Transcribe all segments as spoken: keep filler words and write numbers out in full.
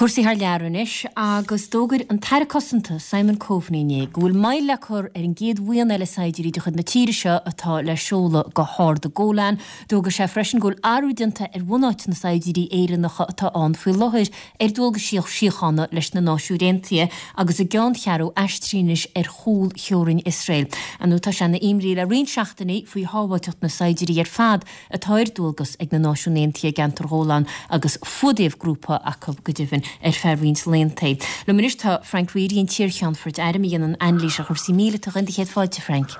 Cúrsaí thar lear anois agus d'fhógair an tAire Cosanta Simon Coveney inné go bhfuil moill le cur ar an gcéad bhuíon eile saighdiúirí de chuid na tíre seo atá le seoladh go hArd an Golan. D'fhógair sé freisin go bhfuil athrú déanta ar bhunáit na saighdiúirí Éireannacha atá ann faoi láthair ar dualgas síochána leis na Náisiúin Aontaithe agus a gceanncheathrú aistrithe anois ar chúl theorainn Iosrael. Ar ndóigh tá sé ina imní le roinnt seachtainí faoi shábháilteacht na saighdiúirí ar fad atá ar dualgas ag na Náisiúin Aontaithe i gceantar Ghólán agus fuadaíodh grúpa acu go deimhin ar feadh roinnt laethanta. Liom anois tá Frank Reidy, an t-iarCheannfort airm a dhéanann anailís ar chúrsaí míleata. Cén chéad fáilte, Frank.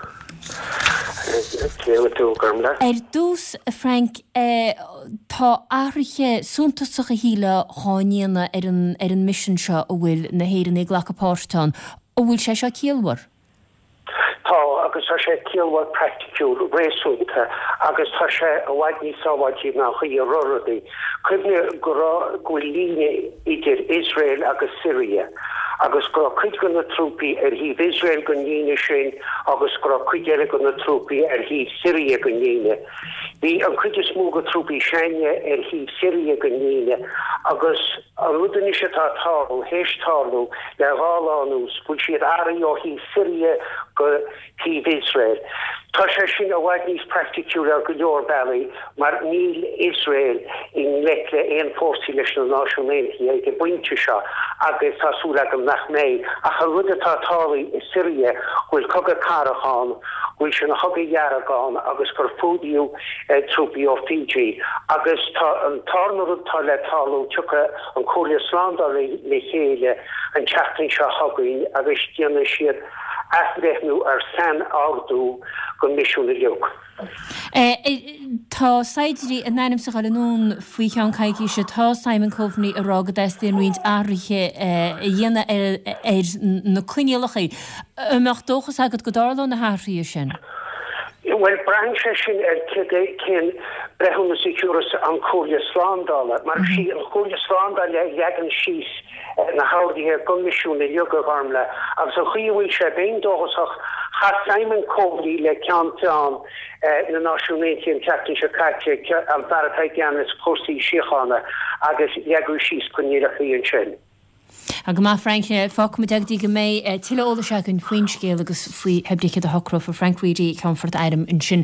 Ar dtús, a Frank, tá athruithe suntasacha shílfeá dhá ndéanamh ar an ar an misean seo a bhfuil na hÉireannaigh ag glacadh páirt ann. An bhfuil sé seo ciallmhar? Tá, agus tá sé ciallmhar praiticiúil, réasúnta agus tá sé i bhfad níos sábháiltí ná an chaoi a raibh rudaí. Cuimhnigh go raibh, go bhfuil líne idir Iosrael agus Siria agus go raibh cuid de na trúpaí ar thaobh Iosrael den líne sin agus go raibh cuid eile de na trúpaí ar thaobh Siria den líne. Bhí an chuid is mó de trúpaí s'againne ar thaobh Siria den líne agus an rud anois atá ag tarlú, théis tarlú le dhá lá anuas, go bhfuil siad athraithe ó thaobh Siria go taobh Iosrael. Tá sé sin i bhfad níos praiticiúla ar go leor bealaí mar níl Iosrael i ngleic le aon fórsaí leis na Náisiúin Aontaithe ag an bpointe seo agus tá súil agam nach mbeidh. Ach an rud atá tarlaithe i Siria, go bhfuil cogadh cathrach ann, go bhfuil sé ina chogadh dhearg ann agus gur fuadaíodh trúpaí ó Fiji agus tá an tarna rud atá le tarlú, tiocfaidh an Chomhairle Slándála le chéile an tseachtain seo chugainn agus déanfaidh siad athbhreithniú ar sainordú don mhisiún uilig. Tá saighdiúirí in ainm is a dhul anonn faoi cheann coicíse. Tá Simon Coveney ag rá go dteastaíonn roinnt athruithe a dhéanamh ar na coinníollacha. An mbeadh dóchas agat go dtarlóidh na hathruithe sin? Bhuel, braitheann sé sin ar cén breithiúnas a thiúrfas an Chomhairle Slándála, mar is í an Chomhairle Slándála a leagann síos na horduithe don mhisiún uilig, a Ghormfhlaith, agus an chaoi a bhfuil sé, bheinn dóchasach. Chas Simon Coveney le Ceann Feadhain na Náisiún Aontaithe an tseachtain seo caite, an fear atá i gceannas cúrsaí síochána, agus leagadh síos coinníollacha ansin. Tá go maith, Frank. Fágfaimid é go dtí go mbeidh tuilleadh eolais againn faoin scéal agus faoi pé ar bith céard a shocrófar. Frank Reidy, Ceannfort Airm ansin.